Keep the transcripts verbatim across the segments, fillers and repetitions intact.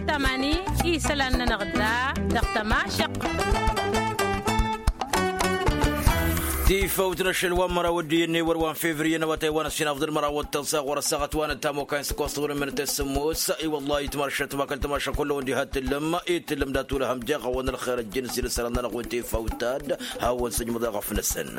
Tămani isălan-nănăɣ da dăɣ-tămašăq. Tifăwt n-ašăl wa n-măraw ăddiyăn n-ewăr wa n-fevriye n-awătay wa n-ăssinafḍăn măraw ăttăẓa ɣur-ăssaɣăt wa n-ăttam okayăn s-ăkkoẓ tăwrǝmmen tăsǝmmos. I-wăllahi itmăršăt makăl tămašăq kullăwăn diha t-tǝllǝm i-tǝllǝm dat-ulăhăm jeɣ a-wa n-ălxer ăjjǝn s-ila isălan-nănăɣ wi n-tifăwt-ta-dd hawăn-sǝjmǝḍ eɣăf-năsăn.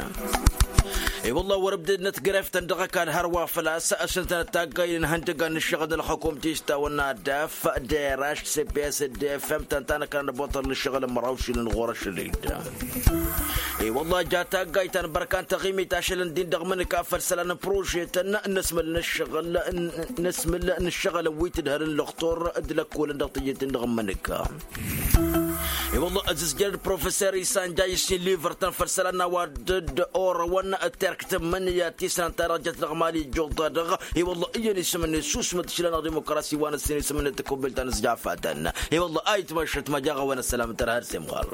I-wălla wăr-ǝbdădnăt greft-tăn dăɣ-ăkall hărwa făl-a-s ăsnătănăt taggaynen ihăndăgan n-ǝššăɣǝl n-ălxukum ti s-tawănna daf d-eraš s-p s d-f m-tăn ta n-ăkran d-ăboṭăl n-ǝššăɣǝl n-măraw šilăn ɣur-ašăl-dd. I-wălla ja taggayt ta n-bărkan tăɣimit ašălăn-din dăɣ-imǝnǝka făll-isălan n-prožetăn n-asmǝl n-ǝššăɣǝl n-asmǝl n-ǝššăɣǝl n-wi t-ǝdhărăn lăxtur d-lăkkolăn dăɣ-tijǝt-in-dăɣ n-imǝnǝka. I-wălla ăzǝzjăr d-professor isan jayǝs-in livăr-tăn făll-isălan n-a-wa dd-orăwăn terk tǝmmǝnǝya ti s-năn-ta-dăɣ jăt dăɣ-mali ijjuḍ-ta-dăɣ. I-wălla iyyăn isǝm-net susmăt išla n-ădimokrasi wa n-ăssin isǝm-net tăkubbelt ta n-ăzjafatăn. I-wălla a itmăššăt ma jaɣ-a-wen ăssălam tărha d-semɣar.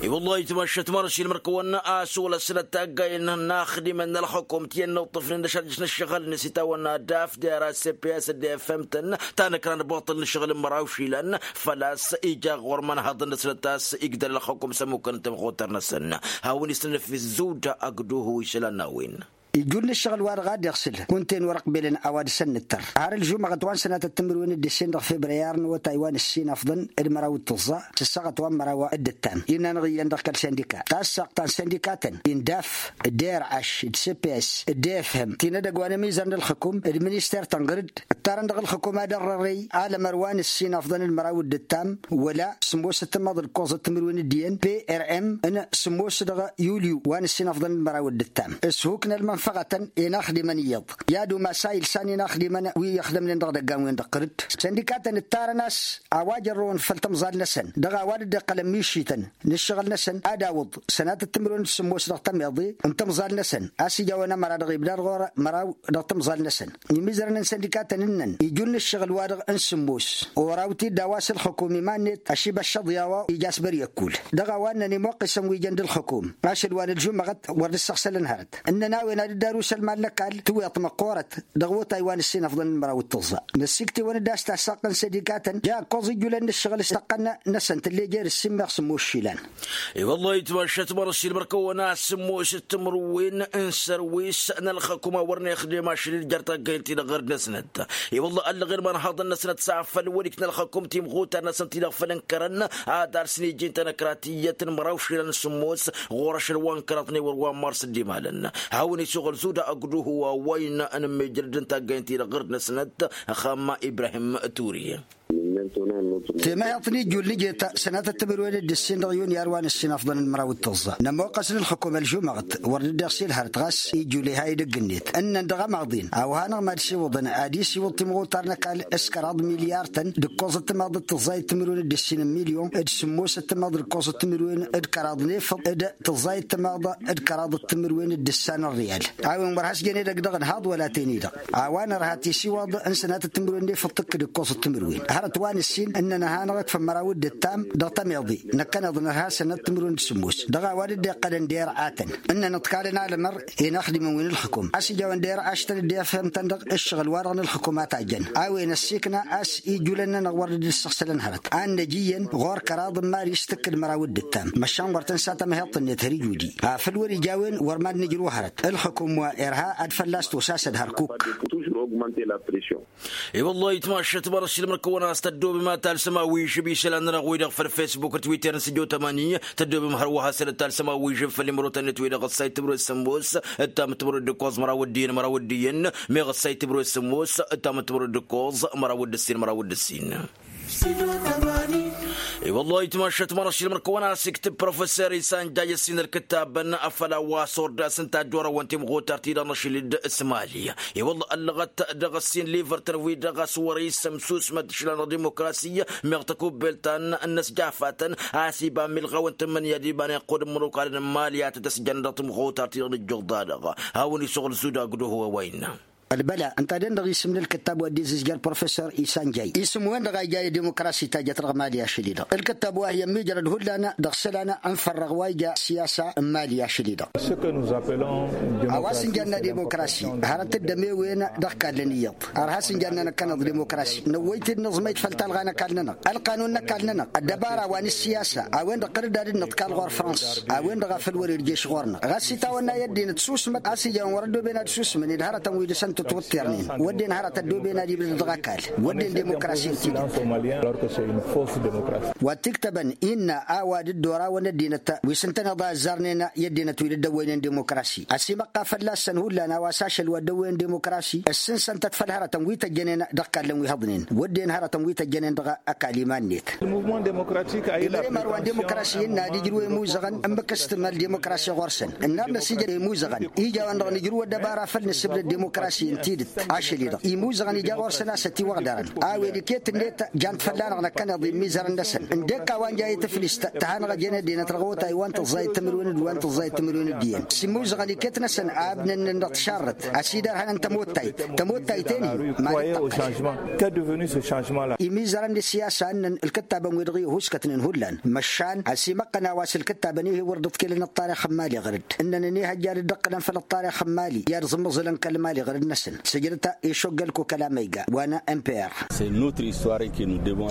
I-wălla a itmăššăt ma n-ašilmăr-kăwăn a-s wăla s-nătaggayăn n-axdimăn n-ălxukum ti ănnăwṭṭăfnen d-ašăl dăɣ-s n-ăššăɣǝl-net itawănna daf d-era s-p s d-f m-tăn ta n-ăkran d-abuṭăl n-ǝššăɣǝl n-măraw išilan. Făl-a-s ija ɣur-imanhaḍăn-năsnăt a-s igdăl ălxukum s-ămmukăn n-tamɣutăr-năsăn. Hawăn-isnănăf izzuda agduhu isălan n-a-wen. Ijul n-ǝššăɣǝl-wa-dăɣ a dd-iɣsǝl kunta-en wăr-ăqbelăn a-wa dăɣ-săn nǝttăr har ălžumăɣăt wa n-sănatăt timǝrwen d-ǝssin dăɣ-febrăyar n-awătay wa n-ǝssin afḍăn d-măraw d-tǝẓẓa s-ăssaɣăt wa n-măraw d-ǝttam. Innă anăɣ-iyyăn dăɣ-kăl-sindika tassaɣt ta n-sindikatăn indaf d-erăš d-sps d-efhem ti n-edăgg wa n-ămizăr n-ălxǝkum d-minister tănɣǝrǝd ǝttarăn dăɣ-ălxǝkum ad-ărrărăy alămăr wa n-ǝssin afḍăn d-măraw d-ǝttam wăla sǝmmos d-tǝmmaḍ d-ǝkkoẓ d-timǝrwen d-iyyăn prm n-sǝmmos dăɣ-yulyu wa n-ǝssin afḍăn d-măraw d-ǝttam. S-huk n-ălmănfăɣătăn i-inaxdimăn iyyăḍ i-ad-umas a ilsan inaxdimăn wi ixdămnen dăɣ-idăggan-wen dăɣ-tărǝd sindikatăn ǝttarăn a-s a-wa jărrăwăn făll-tămẓal-năsăn dăɣ-a-wa dd-iqqălăn mišităn n-ǝššăɣǝl-năsăn ad-awǝḍ sănatăt timǝrwen d-sǝmmos dăɣ-tămiḍe n-tămẓal-năsăn a-s ija a-wen ămăra dăɣ-ibdad ɣur-măraw dăɣ-tămẓal-năsăn. Imizărăn n-sindikatăn ǝnnăn ijun n-ǝššăɣǝl-wa-dăɣ n-sǝmmos oraw-t-dd a-wa s-ǝlxǝkum iman-net ašibăššăḍ i-a-wa ija a-s băr-i ăkkul dăɣ-a-wa ǝnnăn imuqqisăn wi jăn d-ǝlxǝkum ašăl wa n-ălžumăɣăt wăr dd-ǝssăɣsălăn hărăt. Ǝnnăn a-wen ad-dd-arus ălmal n-ăkall tǝwweḍt măqqoorăt dăɣ-iwotay wa n-ǝssin afḍăn n-măraw d-tǝẓẓa. Năssiktewăn-dd a-s tasaɣt n-sindikatăn ja ǝkkoẓ ijulăn n-ǝššăɣǝl s-tăqqăn-năsăn tǝllejer ǝssin meɣ sǝmmos išilan. I-wăllah itmašat măr ăššilmăr-kăwăn a-s sǝmmos d-timǝrwen n-sărwis n-ălxăkum a wăren ixdem ašăl-i d-jer-taggayt-ti-dăɣ ɣărd-năsnăt. I-wăllah ăllăɣen imanhaḍăn-năsnăt s-afăl wăr-ikna ălxăkum timɣutar-năsnăt-ti-dăɣ făll-ǝnkărăn ad-arsǝn iji n-tanăkratiyyăt n-măraw išilan n-sǝmmos ɣur-ašăl wa n-kăraḍnen wăr wa n-mars dd-imalăn. Hawăn-isuɣǝl zuda ăgg-duhu wa wa innă ănămmejrăd n-taggayt-ti-dăɣ ɣărd-năsnăt. Ăxxam ibrahim turi. Temăheḍt n-ijul n-ijet sănatăt timǝrwen d-ǝssin dăɣ-yunyar wa n-ǝssin afḍăn n-măraw d-tǝẓẓa nămoqqăs n-ǝlxǝkum ălžumăɣăt wăr dd-iɣsil hărăt ɣas ijul iha idăgg-net ǝnnăn dăɣ-ămaḍin a-wa hanăɣ-mad-siwǝḍăn ad-isiwǝḍ timɣutar n-ăkall s-kăraḍ milyar-tăn d-ǝkkoẓăt timaḍ d-tǝẓẓayăt timǝrwen d-ǝssin n-milyon d-sǝmmosăt timaḍ d-ǝkkoẓăt timǝrwen d-kăraḍ n-efăḍ d-tǝẓẓayăt timaḍ d-kăraḍ d-timǝrwen d-ǝssan n-ărriyal. A-wen wăr has-jen edăgg dăɣ-ǝnhaḍ wăla ten-i-dăɣ a-wa nărha tisiwaḍ n-sănatăt timǝrwen d-efăḍ tǝkkǝd ǝkkoẓăt timǝrwen hărăt wa n-ǝssin ǝnnăn ăhanăɣ-t făll-măraw d-ǝttam dăɣ-tămiḍe. Năkkăneḍ nărha sănatăt timǝrwen d-sǝmmos dăɣ-a-wa dd-iqqălăn d-erăatăn ǝnnăn ǝḍkalăn alămăr inaxdimăn wi n-ǝlxǝkum a-s ija a-wen d-erăaštăn dd-efhemtăn dăɣ-ǝššăɣǝl-wa-dăɣ n-ǝlxǝkum a tajjăn. A-wen ăssiikna a-s ijulăn-nănăɣ wăr dd-ǝssăɣsălăn hărăt ad-năj iyyăn ɣur-kăraḍ n-mad-is tǝkkǝd măraw d-ǝttam măšan ɣur-tăn s-ad-tamăheḍt-net har ijudi afăl wăr-ija a-wen wăr mad-nǝjrǝw hărăt. Ǝlxǝkum wa irha ad-fălla-s tosasăd hărkuk. I-wăllah itmašat măr-ăššilmăr-kăwăn a-s tăddobem ad-talsăm a-wa ižăb isălan-nănăɣ-wi-dăɣ făll-fesbuk d-twitter n-sǝjo tămani tăddobem hărwa hasăn-dd-talsăm a-wa ižăb făll-imrotăn-net-wi-dăɣ ăssay timǝrwen d-sămmos d-tamǝttǝmrwen d-ǝkkoẓ măraw d-iyyăn măraw d-iyyăn meɣ ăssay timǝrwen d-sămmos d-tamǝttǝmrwen d-ǝkkoẓ măraw d-ǝssin măraw d-ǝssin. I-wăllah itmašat măr-ăššilmăr-kăwăn a-s iktǝb professor isan jaj ǝssin ălkǝttabăn afăl a-wa s-ordas n-tajjorăwăn timɣutar-ti-dăɣ n-ašăl-dd s-mali. I-wăllah ăllăɣăt dăɣ-ǝssin livăr-tăn-wi-dăɣ a-s wăr-isǝm susmăt išlan dăɣ-dimokrasi meɣ tăkubbelt ta n-ănnăsjafatăn a-s iba milɣaw n-tǝmmǝnǝya d-iba n-iqqud n-imănokalăn n-mali ad-tăt-ăsjănăn dăɣ-timɣutar-ti-dăɣ n-ǝjjuḍ-da-dăɣ. Hawăn-i s-uɣǝl zuda ăgg-duhu a-wa innă. Ălbăla ǝnta-dăɣ-dăɣ isǝm n-ălkǝttab wa dd-izǝzjăr professor isanjay isǝm-wen-dăɣ a ija i-dimokrasi ta jăt dăɣ-mali ašăl-i-dăɣ ǝlkǝttab wa hi-ămmiijrăd hullan dăɣ-isălan. Ănfărrăɣ wa ija siyasa n-mali ašăl-i-dăɣ. A-wa s-ǝnjanna dimokrasi hărăt dd-ămewen dăɣ-kallăn iyyăḍ. Ar has-ǝnjanna năkkăneḍ dimokrasi năwwăy-t-dd nǝẓmăy-t făll-talɣa n-ăkall-nănăɣ ălqanun n-ăkall-nănăɣ ăddăbara wa n-ǝssiyasa a-wen-dăɣ tăr-dd ad-dd-nǝḍkal ɣur-frăns. A-wen-dăɣ a făl wăr-irješ ɣur-năɣ ɣas itawănna i-ăddinăt susmăt a-s ijăn wăr-ăddoben ad-susmăn d-hărătăn wi dăɣ-săn tǝtwǝṭṭirnen wădden hărăt ăddoben ad-ibdăd dăɣ-ăkall. Wădden dimokrasi n-tidǝt. Wa t-iktăbăn innă a-wa dd-orawăn ăddinăt wi s-ǝntăneḍ a ăzzarnen i-ăddinăt wi dd-ăwwăynen dimokrasi ăsimăqqa fălla-săn hullan a-wa s-ašăl wa dd-ăwwăyăn dimokrasi. Ǝssǝnsăn-tăt făll-hărătăn wi tăjjănen dăɣ-ikallăn wi hăḍnen wădden hărătăn wi tăjjănen dăɣ-ăkall iman-net. Imrem ar wa n-dimokrasi innă ad-ijrǝw i-imuzăɣăn ǝmmǝk s-tǝmmăl dimokrasi ɣur-săn ǝnnar-năs ija i-imuzăɣăn ija-wen-dăɣ nǝjrǝw ăddăbara făll-nǝssǝbdăd dimokrasi n-tidǝt. Ašăl-i-dăɣ imuzăɣăn ija ɣur-săn a-s ătiwăɣdărăn a-wen iket-net jan-t fălla-năɣ năkkăneḍ i-imizărăn-năsăn ǝndek a-wa n-ja i-tǝflist ta hanăɣ-ăjăn ăddinăt dăɣ-awătay wa n-tǝẓẓayăt timǝrwen d-wa n-tǝẓẓayăt timǝrwen d-iyyăn s-imuzăɣăn iket-năsăn a ǝbnănnăn dăɣ-tišarrăt. A-s idarhănăn tămottayt tămottayt-en-hi. Imizărăn d-ăssiyasa ǝnnăn ǝlkǝttabăn-wi-dăɣ ihuskătnen hullan măšan ăsimăqqăn a-wa s-ǝlkǝttabăn-i-hi wăr dd-ǝḍkǝlăn ăṭṭarix n-imali ɣǝr-dd ǝnnăn ănihăjja ad-dd-ǝqqǝlăn făll-ăṭṭarix n-imali i-ad-ẓǝmmǝẓǝlăn kăl-imali ɣǝr-dd-năsăn sǝjdăt išoggăl kukăla măyga wa n-mpr.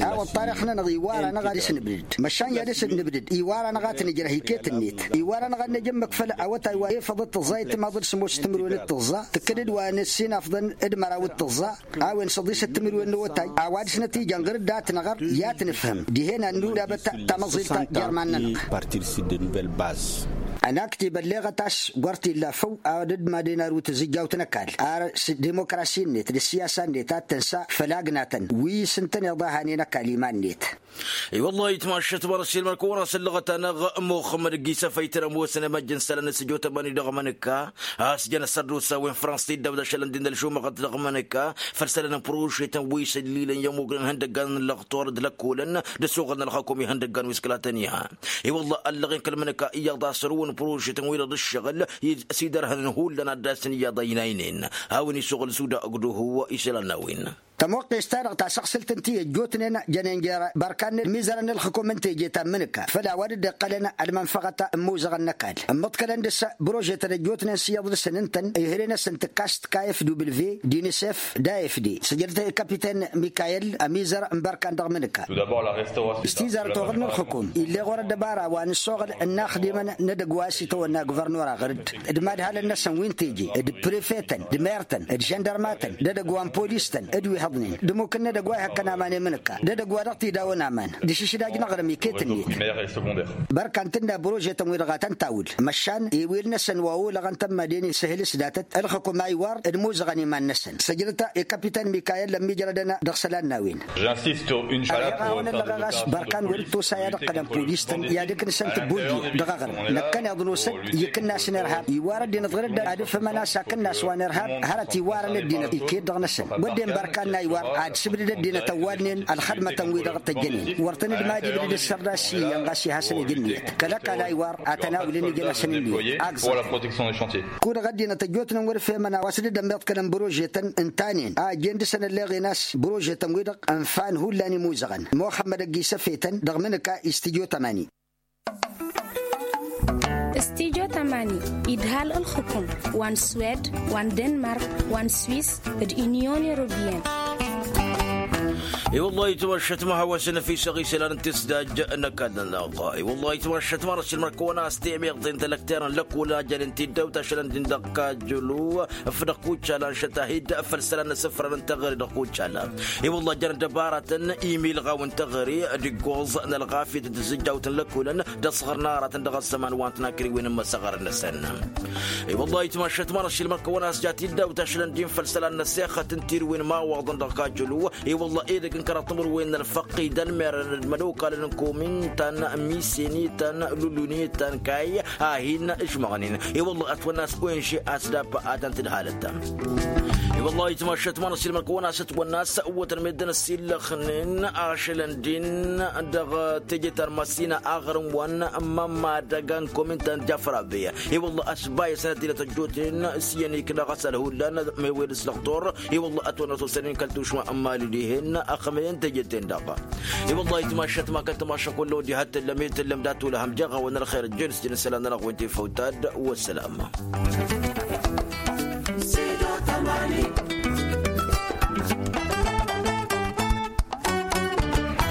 A-wa ăṭṭarix-nănăɣ iwar-anăɣ ad-dăɣ-s nǝbdǝd măšan i-ad-dăɣ-s nǝbdǝd iwar-anăɣ ad-t-nǝjrăh iket-net. Iwar-anăɣ ad-năj ǝmmǝk făll-awătay wa efăḍăt tǝẓẓayăt timaḍ d-sămoos timǝrwen d-tǝẓẓa tǝkkǝd-dd wa n-ăssinafḍăn d-măraw d-tǝẓẓa a-wen săḍisăt timǝrwen n-awătay a-wa dăɣ-s năt-ijan ɣǝr-dd a t-năɣăr i-ad-t-nǝfhǝm dihen ad-nudabăt tamăẓilt. Jer-iman-nănăɣ. Ănaktib ălleɣăt a-s wăr t-illa făw ad-dd-madăn arǝw tǝzǝjjawt n-ăkall ar s-dimokrasi-net d-ăssiyasa-net ad-tǝnsa făll-agnatăn wi s-ǝntăneḍ a hanen ăkall iman-net. I-wăllah itmašăt măr-s ilmăn kăwăn-asǝllăɣăt-anăɣ muxămmăd ăgg-isăfăytăn ămoosăn imăjj n-isălan n-sǝjot ămani dăɣ-mănǝkka a-s jăn ăssărdusa wen frăns-t-dd-ăbdăšălăn d-inălšumăɣăt dăɣ-mănǝkka făll-isălan n-părušetăn wi s-ǝllilăn i-ămugnen ihăndăggan n-lăxtur d-lăkkolăn d-asuɣǝl n-ălxăkum ihăndăggan wi s-kăla tăn-iha. I-wăllah ăllăɣen kăl-mănǝkka iyyăḍ a-s ărǝwăn părušetăn wi dăɣ-dd-ǝššăɣǝl s-iddărhănăn hullan ad-dd-asǝn iyyăḍ a ăynaynen. A-wen isuɣǝl s-uda ǝgduhu isălan n-a-wen. Tămoqqes-ta-dăɣ tasăɣsǝlt ǝnta i-ăjjootnen jănen jer-bărkan n-imizărăn n-ǝlxǝkum n-teje ta n-imǝnǝka făll-a-wa dd-iqqălăn ălmănfăɣăt n-imuzăɣăn n-ăkall ǝmmǝḍkălăn dăr-s bărožetăn ăjjootnen s-iyyăḍ dăr-săn ǝntăn ihre-năsăn tǝkkas d-kfw d-a f d sǝjdăt i-kapiten mikayel ămizăr n-bărkan dăɣ-imǝnǝka. S-tizarăt oɣǝl n-ǝlxǝkum ill'-e ɣur-ăddăbara wa n-ǝssoɣăl n-inaxdimăn n-edăgg wa s-itawănna guvărnora ɣăr-dd d-imadhalăn-năsăn wi n-teje d-prefetăn d-mertăn d-žăndărmatăn d-edăgg wa n-polistăn d-wi hăḍnen d-imukǝn n-edăgg wa ihăkkăn aman i-imǝnǝka d-edăgg wa dăɣ-t-idawăn aman d-išǝšdaj n-aɣrǝm iket-net. Bărkan tǝnna bărožetăn-wi-dăɣ a tăn-tawǝl măšan ewel-năsăn wa olăɣăn tămmaden isǝhǝl s-datăt ǝlxǝkum a iwar d-imuzăɣăn iman-năsăn săjdăt i-kapiten mikayel ămmiijrădăn dăɣ-isălan n-a-wen. Ălleɣ a-wen ăllăɣeɣ a-s bărkan wăr-dd-tosa i-ad-ǝqqǝlăn polis-tăn i-ad-ǝknǝsăn tǝbbundi dăɣ-aɣrǝm năkkăneḍ nosăn ikǝnnas n-irhab iwar ăddinăt ɣǝr-dd ad-ǝfhǝmăn a-s akǝnnas wa n-irhab hărăt iwarăn ăddinăt iket-dăɣ-năsăn wădden bărkan n-a iwar ad-sǝbdǝd ăddinăt ăwwalnen ălxădmătăn-wi-dăɣ tăjjănen wăr tăn-dd-mad-ibdǝd ǝssărda s-iyyăn ɣas i-hasăn-ǝj ǝnniyăt kăl-ăkall a iwar ad-tăn-awǝlăn ijăn-asăn ǝnniyăt. Agǝẓăt kud-dăɣ ăddinăt ăjjootnen wăr-ǝfhemăn a-wa s-dd-ămmiḍkălăn bărožetăn ǝntanen a ăjjeen dăr-săn ălleɣen a-s bărožetăn-wi-dăɣ ǝnfan hullan imuzăɣăn muxămmăd ăgg-isăfetăn dăɣ-imǝnǝka. Istijyo tămani. Istijyo tămani idhal ǝlxǝkum wa n-swed wa n-denmark wa n-swis d-inyon europiyăn. I-wăllah itmašăt ma hawăsăn ăfisăɣ isălan n-tisdaj n-ăkall-nănăɣ. I-wăllah itmašăt ma răsǝlmăr kăwăn-as temeḍe n-telăkterăn lăkol ajănen tiddawt ašălăn din dăɣ-kajjălu. Făll-dăɣ kucala n-šăt a hi-dd-făll-isălan n-asǝfran n-teɣăre dăɣ-kucala. I-wălla jăn ăddăbaratăn imilɣaw n-teɣăre d-iggoẓ n-ălɣafyăt d-tǝzzǝjjawt n-lăkolăn d-ăṣɣăr n-aratăn dăɣ-ăzzăman wa n-tinakriwen n-imăsăɣăr-năsăn. I-wălla itmašăt ma n-ašilmăr kăwăn-as ja tiddawt ašălăn din făll-isălan n-ăssexăt n-tirǝwen imawaḍăn dăɣ-kajjălu. I-wălla edăgg N-kăraḍ timǝrwen n-ălfăqqi d-ălmerăn d-imănokalăn n-komin ta n-misen i-ta n-lulun i-ta n-kayy a hin-ǝžmăɣnen. I-wălla ătwănna a-s oynže a-s dab-a ad-tăn-tǝdhalăt. I-wălla itmašăt ma n-ăsilmăn kăwăn-asăt wănna a-s wătăn meddǝn ăsillăxnen ašălăn din dăɣ-teje ta n-măsina aɣrǝm-wăn mămmadăga n-komin ta n-jafrabe. I-wălla a-s bayăsăn ad-t-ilăt ăjjoten s-iyyăn ikna ɣas ălhullan mewed s-lăxtor. I-wălla ătwănna s-osănen kăl-tušma n-mali-dihen ăxmăyăn teje-ten-dăɣ. I-wălla itmašăt ma kăl-tămašăk wălla odi ha t-tăllăm i-tăllăm dat-olăhăm jeɣ-awăn ălxer ăjjel s-jăn isălan-nănăɣ wen ti făwtad. Wăssălam.